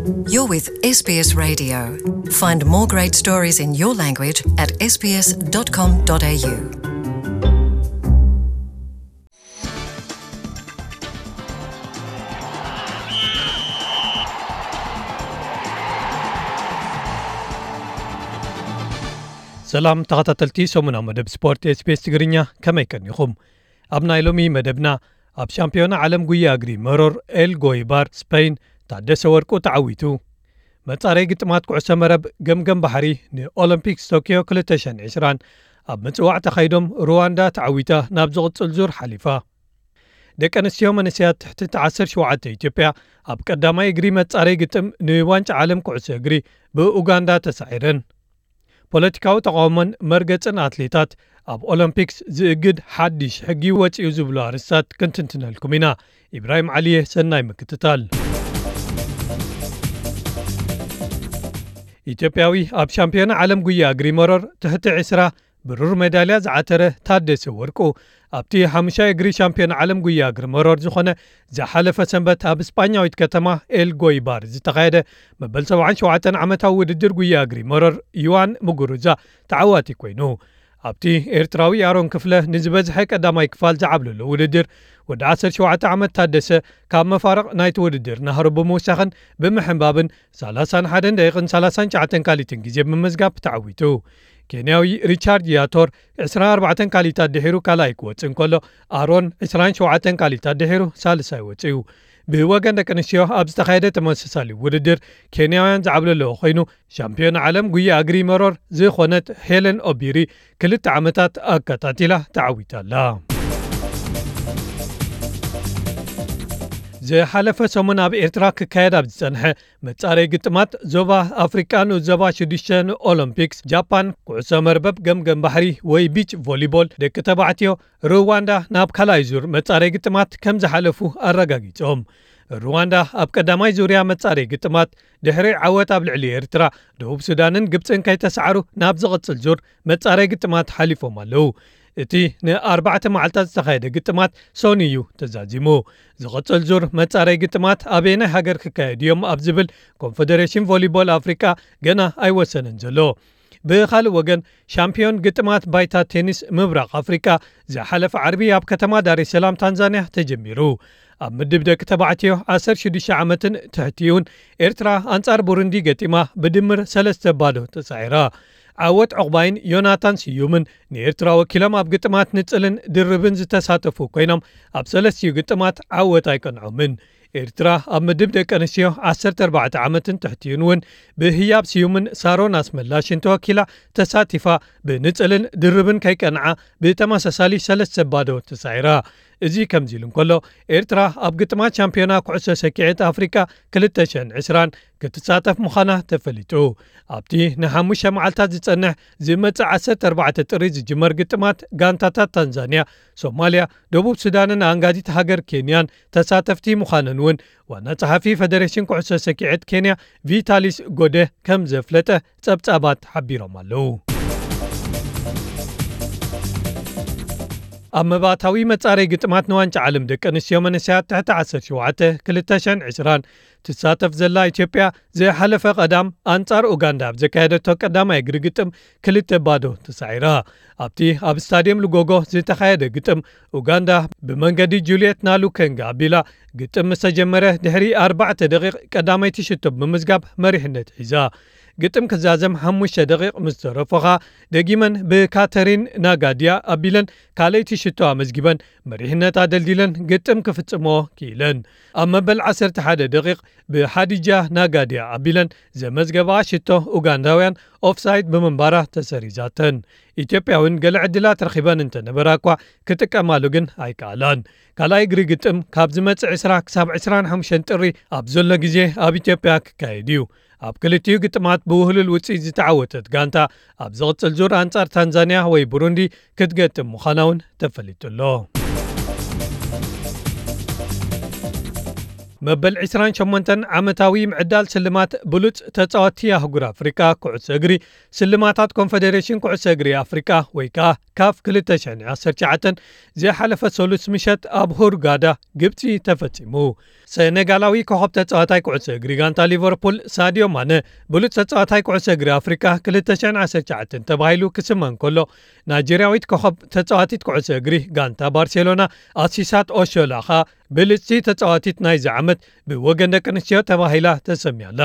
You're with S B S Radio. Find more great stories in your language at S B S dot com dot A U. ሰላም ተኸታተልቲ ሰሙናዊ መደብ ስፖርት ኤስ ቢ ኤስ ትግርኛ፣ ከመይ ቀኒኹም? ኣብ ናይ ሎሚ መደብና፣ ኣብ ሻምፒዮና ዓለም ጉያ እግሪ መሮር ኤል ጎይባር ስፔን ታደሰ ወርቁ ተዓዊቱ። መጻረይ ግጥማት ኩዕሶ መረብ ገምገም ባሕሪ ንኦሎምፒክስ ቶኪዮ ክልተ ሽሕን ዕስራን ኣብ ምጽዋዕ ተኻይዶም ሩዋንዳ ተዓዊታ ናብ ዝቕጽል ዙር ሓሊፋ። ደቂ ኣንስትዮ መንእሰያት ትሕቲ ዓሰርተ ሸውዓተ ኢትዮጵያ ኣብ ቀዳማይ እግሪ መጻረይ ግጥም ንዋንጫ ዓለም ኩዕሶ እግሪ ብኡጋንዳ ተሳዒረን። ፖለቲካዊ ተቓውሞን መርገጽን ኣትሌታት ኣብ ኦሎምፒክስ ዝእግድ ሓድሽ ሕጊ ወጺኡ ዝብሉ ኣርእስታት ክንትንትነልኩም ኢና። ኢብራሂም ዓሊየ፣ ሰናይ ምክትታል። ኢትዮጵያዊ ኣብ ሻምፒዮና ዓለም ጉያ እግሪ መሮር ትሕቲ ዕስራ ብሩር ሜዳልያ ዝዓተረ ታደሰ ወርቁ፣ ኣብቲ ሓሙሻይ እግሪ ሻምፒዮን ዓለም ጉያ እግሪ መሮር ዝኾነ ዝሓለፈ ሰንበት ኣብ ስጳኛዊት ከተማ ኤል ጎይባር ዝተኻየደ መበል ሰብዓን ሸውዓተን ዓመታዊ ውድድር ጉያ እግሪ መሮር ዩዋን ሙጉሩዛ ተዓዋቲ ኮይኑ። ኣብቲ ኤርትራዊ ኣሮን ክፍለ ንዝበዝሐ ቀዳማይ ክፋል ዝዓብለሎ ውድድር፣ ወዲ ዓሰርተ ሸውዓተ ዓመት ታደሰ ካብ መፋርቕ ናይቲ ውድድር ናህሩ ብምውሳኽን ብምሕንባብን ሰላሳን ሓደን ደቂቕን ሰላሳን ትሽዓተን ካሊትን ግዜ ብምምዝጋብ ተዓዊቱ። ኬንያዊ ሪቻርድ ያቶር ዕስራን ኣርባዕተን ካሊታት ድሒሩ ካልኣይ ክወጽእ እንከሎ፣ ኣሮን ዕስራን ሸውዓተን ካሊታት ድሒሩ ሳልሳይ ወጺኡ። ብወገን ደቂ ኣንስትዮ ኣብ ዝተኻየደ ተመሳሳሊ ውድድር ኬንያውያን ዝዓብለለዎ ኮይኑ፣ ሻምፒዮን ዓለም ጉያ እግሪ መሮር ዝኾነት ሄለን ኦቢሪ ክልተ ዓመታት ኣከታቲላ ተዓዊታ ኣላ። ዝሓለፈ ሰሙን ኣብ ኤርትራ ክካየድ ኣብ ዝጸንሐ መጻረይ ግጥማት ዞባ ኣፍሪቃ ንኡስ ዞባ ሽዱሽተ ንኦሎምፒክስ ጃፓን ኩዕሶ መርበብ ገምገም ባሕሪ ወይ ቢች ቮሊቦል ደቂ ተባዕትዮ፣ ሩዋንዳ ናብ ካልኣይ ዙር መጻረይ ግጥማት ከም ዝሓለፉ ኣረጋጊጾም። ሩዋንዳ ኣብ ቀዳማይ ዙርያ መጻረይ ግጥማት ድሕሪ ዓወት ኣብ ልዕሊ ኤርትራ፣ ደቡብ ሱዳንን ግብጽን ከይተሳዕሩ ናብ ዝቕጽል ዙር መጻረይ ግጥማት ሓሊፎም ኣለዉ። እቲ ንኣርባዕተ መዓልታት ዝተኻየደ ግጥማት ሰኑይ እዩ ተዛዚሙ። ዝቕጽል ዙር መጻረይ ግጥማት ኣበየናይ ሃገር ክካየድ እዮም ኣብ ዝብል ኮንፈደሬሽን ቮሊቦል ኣፍሪቃ ገና ኣይወሰነን ዘሎ። ብኻልእ ወገን፣ ሻምፒዮን ግጥማት ባይታ ቴኒስ ምብራቕ ኣፍሪቃ ዝሓለፈ ዓርቢ ኣብ ከተማ ዳሬ ሰላም ታንዛንያ ተጀሚሩ። ኣብ ምድብ ደቂ ተባዕትዮ ዓሰርተ ሽዱሽተ ዓመትን ትሕቲኡን፣ ኤርትራ ኣንጻር ቡሩንዲ ገጢማ ብድምር ሰለስተ ባዶ ተሳዒራ። ዓወት ዑቕባይን ዮናታን ስዩምን ንኤርትራ ወኪሎም ኣብ ግጥማት ንጽልን ድርብን ዝተሳተፉ ኮይኖም፣ ኣብ ሰለስቲኡ ግጥማት ዓወት ኣይቀንዖምን። ኤርትራ ኣብ ምድብ ደቂ ኣንስትዮ ዓሰርተ ኣርባዕተ ዓመትን ትሕቲኡን እውን ብህያብ ስዩምን ሳሮን ኣስመላሽን ተወኪላ ተሳቲፋ፣ ብንጽልን ድርብን ከይቀንዓ ብተመሳሳሊ ሰለስተ ባዶ ተሳዒራ። እዚ ከምዚ ኢሉ እንከሎ፣ ኤርትራ ኣብ ግጥማት ሻምፒዮና ኩዕሶ ሰኪዔት ኣፍሪቃ ክልተ ሽሕን ዕስራን ክትሳተፍ ምዃና ተፈሊጡ። ኣብቲ ንሓሙሽተ መዓልታት ዝጸንሕ ዝመጽእ ዓሰርተ ኣርባዕተ ጥሪ ዝጅመር ግጥማት፣ ጋንታታት ታንዛንያ፣ ሶማልያ፣ ደቡብ ሱዳንን ኣንጋዲት ሃገር ኬንያን ተሳተፍቲ ምዃነን እውን ዋና ጸሓፊ ፈደሬሽን ኩዕሶ ሰኪዔት ኬንያ ቪታሊስ ጎደ ከም ዘፍለጠ ጸብጻባት ሓቢሮም ኣለዉ። ኣብ መባእታዊ መጻረይ ግጥማት ንዋንጫ ዓለም ደቂ ኣንስትዮ መንእሰያት ትሕቲ ዓሰርተ ሸውዓተ ክልተ ሽሕን ዕስራን ትሳተፍ ዘላ ኢትዮጵያ፣ ዝሓለፈ ቀዳም ኣንጻር ኡጋንዳ ኣብ ዘካየደቶ ቀዳማይ እግሪ ግጥም ክልተ ባዶ ተሳዒራ። ኣብቲ ኣብ ስታድየም ሉጎጎ ዝተኻየደ ግጥም፣ ኡጋንዳ ብመንገዲ ጁልየት ናሉከንጋ ኣቢላ ግጥም ምስ ተጀመረ ድሕሪ ኣርባዕተ ደቂቕ ቀዳመይቲ ሽቶ ብምምዝጋብ መሪሕነት ሒዛ። ግጥም ክዛዘም ሓሙሽተ ደቂቕ ምስ ተረፎ ኸኣ፣ ደጊመን ብካተሪን ናጋድያ ኣቢለን ካልኣይቲ ሽቶ ኣመዝጊበን መሪሕነት ኣደልዲለን ግጥም ክፍጽሞ ክኢለን። ኣብ መበል ዓሰርተ ሓደ ደቂቕ ብሓዲጃ ናጋድያ ኣቢለን ዘመዝገባ ሽቶ፣ ኡጋንዳውያን ኦፍሳይድ ብምንባራ ተሰሪዛተን። ኢትዮጵያ እውን ገለ ዕድላት ረኺበን እንተነበራ እኳ፣ ክጥቀማሉ ግን ኣይከኣላን። ካልኣይ እግሪ ግጥም ካብ ዝመጽእ ዕስራ ክሳብ ዕስራን ሓሙሽተን ጥሪ ኣብ ዘሎ ግዜ ኣብ ኢትዮጵያ ክካየድ እዩ። ኣብ ክልቲኡ ግጥማት ብውህሉል ውጽኢት ዝተዓወተት ጋንታ፣ ኣብ ዝቕጽል ዙር ኣንጻር ታንዛንያ ወይ ቡሩንዲ ክትገጥም ምዃና እውን ተፈሊጡ ኣሎ። መበል ዕስራን ሸሞንተን ዓመታዊ ምዕዳል ስልማት ብሉጽ ተጻወቲ ኣህጉር ኣፍሪቃ ኩዕሶ እግሪ፣ ስልማታት ኮንፈደሬሽን ኩዕሶ እግሪ ኣፍሪቃ ወይ ከኣ ካፍ ክልተሽሕን ዓሰርተ ትሽዓተን ዝሓለፈ ሰሉስ ምሸት ኣብ ሁርጋዳ ግብጺ ተፈጺሙ። ሰነጋላዊ ኮኸብ ተጻዋታይ ኩዕሶ እግሪ ጋንታ ሊቨርፑል ሳዲዮ ማነ ብሉጽ ተጻዋታይ ኩዕሶ እግሪ ኣፍሪቃ ክልተሽሕን ዓሰርተ ትሽዓተን ተባሂሉ ክስመ እንከሎ፣ ናይጀርያዊት ኮኸብ ተጻዋቲት ኩዕሶ እግሪ ጋንታ ባርሴሎና ኣሲሳት ኦሾላ ከኣ ብልጽቲ ተጻዋቲት ናይዚ ዓመት ብወገን ደቂ ኣንስትዮ ተባሂላ ተሰምያ ኣላ።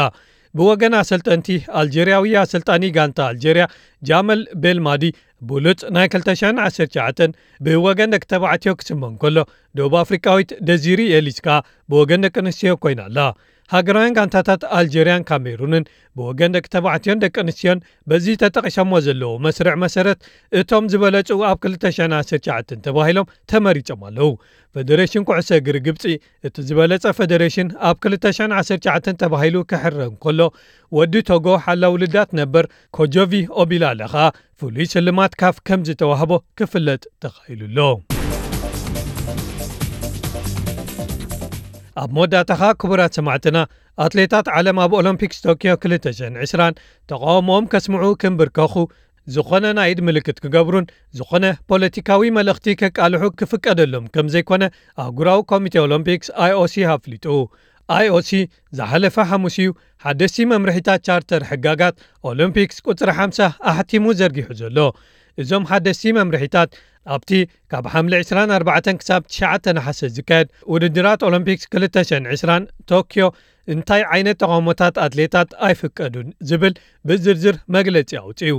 ብወገን ኣሰልጠንቲ፣ ኣልጀርያዊ ኣሰልጣኒ ጋንታ ኣልጀርያ ጃመል ቤልማዲ ብሉጽ ናይ ክልተ ሽሕን ዓሰርተ ትሽዓተን ብወገን ደቂ ተባዕትዮ ክስመ እንከሎ፣ ደቡብ ኣፍሪቃዊት ደዚሪ ኤሊስ ከኣ ብወገን ደቂ ኣንስትዮ ኮይና ኣላ። ሃገራውያን ጋንታታት ኣልጀርያን ካሜሩንን ብወገን ደቂ ተባዕትዮን ደቂ ኣንስትዮን በዚ ተጠቒሶሞ ዘለዉ መስርዕ መሰረት እቶም ዝበለጹ ኣብ ክልተ ሽሕን ዓሰርተ ትሽዓተን ተባሂሎም ተመሪጾም ኣለዉ። ፈደሬሽን ኩዕሶ እግሪ ግብጺ እቲ ዝበለጸ ፈደሬሽን ኣብ ክልተ ሽሕን ዓሰርተ ትሽዓተን ተባሂሉ ክሕረ እንከሎ፣ ወዲ ቶጎ ሓላው ልዳት ነበር ኮጆቪ ኦቢላለ ከኣ ፍሉይ ስልማት ካፍ ከም ዝተዋህቦ ክፍለጥ ተኻኢሉ ኣሎ። ኣብ መወዳእታኻ ክቡራት ሰማዕትና፣ ኣትሌታት ዓለም ኣብ ኦሎምፒክስ ቶኪዮ ክልተ ሽሕን ዕስራን ተቃውሞኦም ከስምዑ ክንብርከኹ፣ ዝኾነ ናይ ኢድ ምልክት ክገብሩን ዝኾነ ፖለቲካዊ መልእኽቲ ከቃልሑ ክፍቀደሎም ከም ዘይኮነ ኣህጉራዊ ኮሚቴ ኦሎምፒክስ ኣይኦሲ ኣፍሊጡ። ኣይኦሲ ዝሓለፈ ሓሙስ እዩ ሓደስቲ መምርሒታት ቻርተር ሕጋጋት ኦሎምፒክስ ቁጽሪ ሓምሳ ኣሕቲሙ ዘርጊሑ ዘሎ። እዞም ሓደስቲ መምርሒታት ኣብቲ ካብ ሓምለ ዕስራን ኣርባዕተን ክሳብ ትሽዓተ ነሓሰ ዝካየድ ውድድራት ኦሎምፒክስ ክልተ ሽሕን ዕስራን ቶኪዮ እንታይ ዓይነት ተቃውሞታት ኣትሌታት ኣይፍቀዱን ዝብል ብዝርዝር መግለጺ ኣውጺኡ።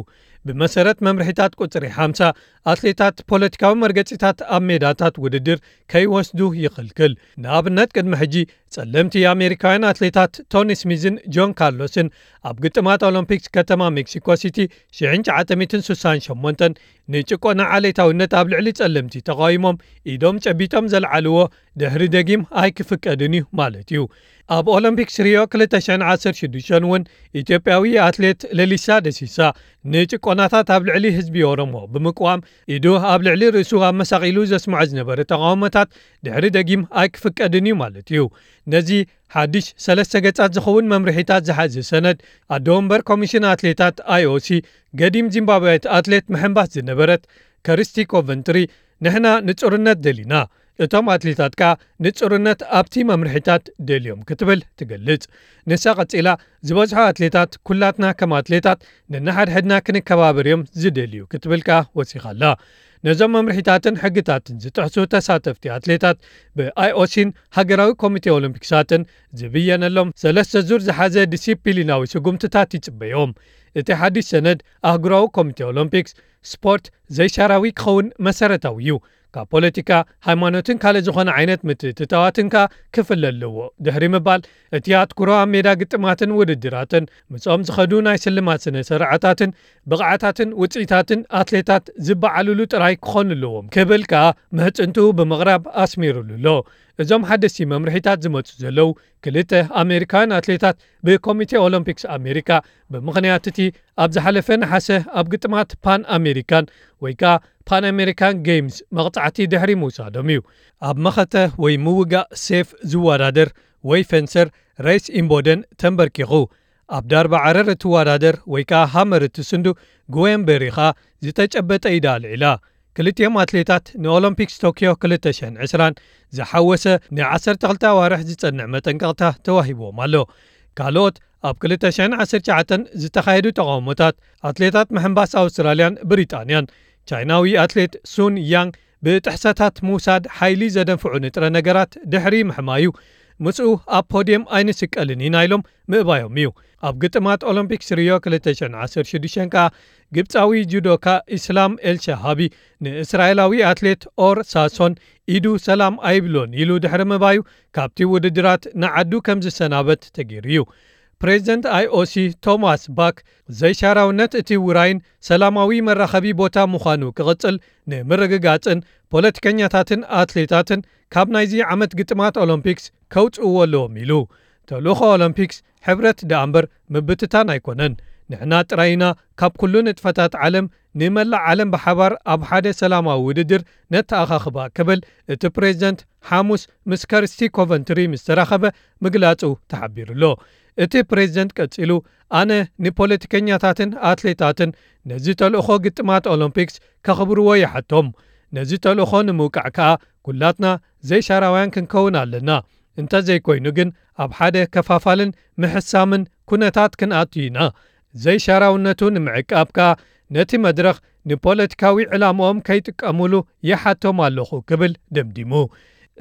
ብመሰረት መምርሒታት ቁጽሪ ሓምሳ፣ ኣትሌታት ፖለቲካዊ መርገጺታት ኣብ ሜዳታት ውድድር ከይወስዱ ይኽልክል። ንኣብነት፣ ቅድሚ ሕጂ ጸለምቲ ኣሜሪካውያን ኣትሌታት ቶኒ ስሚዝን ጆን ካርሎስን ኣብ ግጥማት ኦሎምፒክስ ከተማ ሜክሲኮ ሲቲ ሽሕን ትሽዓተ ሚእትን ስሳን ሸሞንተን ንጭቆና ዓሌታውነት ኣብ ልዕሊ ጸለምቲ ተቃዊሞም ኢዶም ጨቢጦም ዘልዓልዎ ድሕሪ ደጊም ኣይክፍቀድን እዩ ማለት እዩ። ኣብ ኦሎምፒክስ ሪዮ ክልተ ሽሕን ዓሰርተ ሽዱሽተን እውን ኢትዮጵያዊ ኣትሌት ለሊሳ ደሲሳ ንጭቆናታት ኣብ ልዕሊ ህዝቢ ኦሮሞ ብምቅዋም ኢዱ ኣብ ልዕሊ ርእሱ ኣመሳቒሉ ዘስምዖ ዝነበረ ተቃውሞታት ድሕሪ ደጊም ኣይክፍቀድን እዩ ማለት እዩ። ነዚ ሓድሽ ሰለስተ ገጻት ዝኸውን መምርሒታት ዝሓዘ ሰነድ ኣደ ወንበር ኮሚሽን ኣትሌታት ኣይኦሲ ገዲም ዚምባብያዊት ኣትሌት ምሕንባስ ዝነበረት ከርስቲ ኮቨንትሪ፣ "ንሕና ንጹርነት ደሊና፣ እቶም ኣትሌታት ከኣ ንጹርነት ኣብቲ መምርሒታት ደልዮም" ክትብል ትገልጽ። ንሳ ቀጺላ፣ "ዝበዝሑ ኣትሌታት፣ ኩላትና ከም ኣትሌታት ንንሓድሕድና ክንከባበር እዮም ዝደልዩ" ክትብል ከኣ ወሲኻ ኣላ። ነዞም መምርሒታትን ሕግታትን ዝጥሕሱ ተሳተፍቲ ኣትሌታት ብኣይኦሲን ሃገራዊ ኮሚቴ ኦሎምፒክሳትን ዝብየነሎም ሰለስተ ዙር ዝሓዘ ዲሲፕሊናዊ ስጉምትታት ይጽበዮም። እቲ ሓድሽ ሰነድ ኣህጉራዊ ኮሚቴ ኦሎምፒክስ ስፖርት ዘይሻራዊ ክኸውን መሰረታዊ እዩ። ካብ ፖለቲካ፣ ሃይማኖትን ካልእ ዝኾነ ዓይነት ምትእትታዋትን ከኣ ክፍለ ኣለዎ ድሕሪ ምባል፣ እቲ ኣትኩሮ ኣብ ሜዳ ግጥማትን ውድድራትን ምስኦም ዝኸዱ ናይ ስልማት ስነ ስርዓታትን ብቕዓታትን ውጽኢታትን ኣትሌታት ዝበዓሉሉ ጥራይ ክኾኑ ኣለዎም ክብል ከኣ ምሕጽንትኡ ብምቕራብ ኣስሚሩሉ ኣሎ። እዞም ሓደስቲ መምርሒታት ዝመጹ ዘለዉ ክልተ ኣሜሪካውያን ኣትሌታት ብኮሚቴ ኦሎምፒክስ ኣሜሪካ ብምኽንያት እቲ ኣብ ዝሓለፈ ነሓሰ ኣብ ግጥማት ፓን ኣሜሪካን ወይ ከኣ ፓን ኣሜሪካን ጌምስ መቕጻዕቲ ድሕሪ ምውሳዶም እዩ። ኣብ መኸተ ወይ ምውጋእ ሴፍ ዝወዳደር ወይ ፌንሰር ሬስ ኢምቦደን ተንበርኪኹ ኣብ ዳርባ ዓረር እትወዳደር ወይ ከኣ ሃመር እትስንዱ ግዌን ቤሪ ከኣ ዝተጨበጠ ኢዳ ኣልዒላ። ክልቲኦም ኣትሌታት ንኦሎምፒክስ ቶኪዮ ክልተ ሽሕን ዕስራን ዝሓወሰ ንዓሰርተ ክልተ ኣዋርሕ ዝጸንዕ መጠንቀቕታ ተዋሂብዎም ኣሎ። ካልኦት ኣብ ክልተ ሽሕን ዓሰርተ ትሽዓተን ዝተኻየዱ ተቓውሞታት ኣትሌታት ምሕንባስ ኣውስትራልያን ብሪጣንያን፣ ቻይናዊ ኣትሌት ሱን ያንግ ብጥሕሰታት ምውሳድ ሓይሊ ዘደንፍዑ ንጥረ ነገራት ድሕሪ ምሕማዩ፣ ምስኡ ኣብ ፖድየም ኣይንስቀልን ኢና ኢሎም ምእባዮም እዩ። ኣብ ግጥማት ኦሎምፒክስ ሪዮ ክልተ ሽሕን ዓሰርተ ሽዱሽተን ከኣ ግብጻዊ ጁዶካ ኢስላም ኤልሻሃቢ ንእስራኤላዊ ኣትሌት ኦር ሳሶን ኢዱ ሰላም ኣይብሎን ኢሉ ድሕሪ ምባዩ ካብቲ ውድድራት ንዓዱ ከም ዝሰናበት ተገይሩ እዩ። ፕሬዚደንት ኣይኦሲ ቶማስ ባክ ዘይሻራውነት እቲ ውራይን ሰላማዊ መራኸቢ ቦታ ምዃኑ ክቕጽል ንምርግጋጽን ፖለቲከኛታትን ኣትሌታትን ካብ ናይዚ ዓመት ግጥማት ኦሎምፒክስ ከውጽእዎ ኣለዎም ኢሉ። ተልእኾ ኦሎምፒክስ ሕብረት ደኣ እምበር ምብትታን ኣይኮነን። ንሕና ጥራይ ኢና ካብ ኩሉ ንጥፈታት ዓለም ንመላእ ዓለም ብሓባር ኣብ ሓደ ሰላማዊ ውድድር ነተኣኻኽባ ክብል እቲ ፕሬዝደንት ሓሙስ ምስ ከርስቲ ኮቨንትሪ ምስ ተራኸበ ምግላጹ ተሓቢሩ ኣሎ። እቲ ፕሬዝደንት ቀጺሉ ኣነ ንፖለቲከኛታትን ኣትሌታትን ነዚ ተልእኾ ግጥማት ኦሎምፒክስ ከኽብርዎ ይሓቶም። ነዚ ተልእኾ ንምውቃዕ ከኣ ኩላትና ዘይሻራውያን ክንከውን ኣለና። እንተዘይኮይኑ ግን ኣብ ሓደ ከፋፋልን ምሕሳምን ኩነታት ክንኣቱ ኢና። ዘይሻራውነቱ ንምዕቃብ ከኣ ነቲ መድረኽ ንፖለቲካዊ ዕላምኦም ከይጥቀሙሉ ይሓቶም ኣለኹ ክብል ደምዲሙ።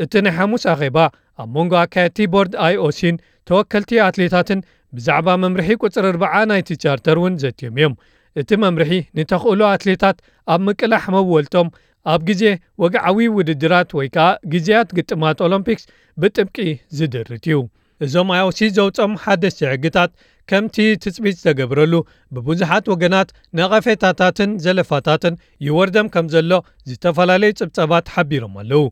እቲ ናይ ሓሙስ ኣኼባ ኣብ መንጎ ኣካየድቲ ቦርድ ኣይኦሲን ተወከልቲ ኣትሌታትን ብዛዕባ መምርሒ ቁጽሪ ኣርብዓ ናይቲ ቻርተር እውን ዘትዮም እዮም። እቲ መምርሒ ንተኽእሎ ኣትሌታት ኣብ ምቅላሕ መወልቶም ኣብ ግዜ ወግዓዊ ውድድራት ወይ ከኣ ግዜያት ግጥማት ኦሎምፒክስ ብጥብቂ ዝድርት እዩ። እዞም ኣይኦሲ ዘውጾም ሓደስቲ ሕግታት ከምቲ ትጽቢት ዝተገብረሉ ብብዙሓት ወገናት ነቐፌታታትን ዘለፋታትን ይወርደም ከም ዘሎ ዝተፈላለዩ ጽብጸባት ሓቢሮም ኣለዉ።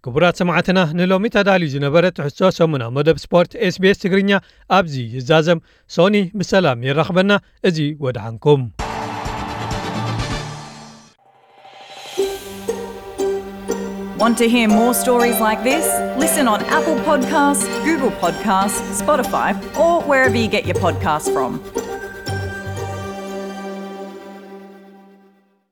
ክቡራት ሰማዕትና ንሎሚ ተዳልዩ ዝነበረ ትሕዝቶ ሰሙና መደብ ስፖርት ኤስቢኤስ ትግርኛ ኣብዚ ይዛዘም። ሶኒ ብሰላም የራኽበና። እዚ ወድሓንኩም። Want to hear more stories like this? Listen on Apple Podcasts, Google Podcasts, Spotify, or wherever you get your podcasts from.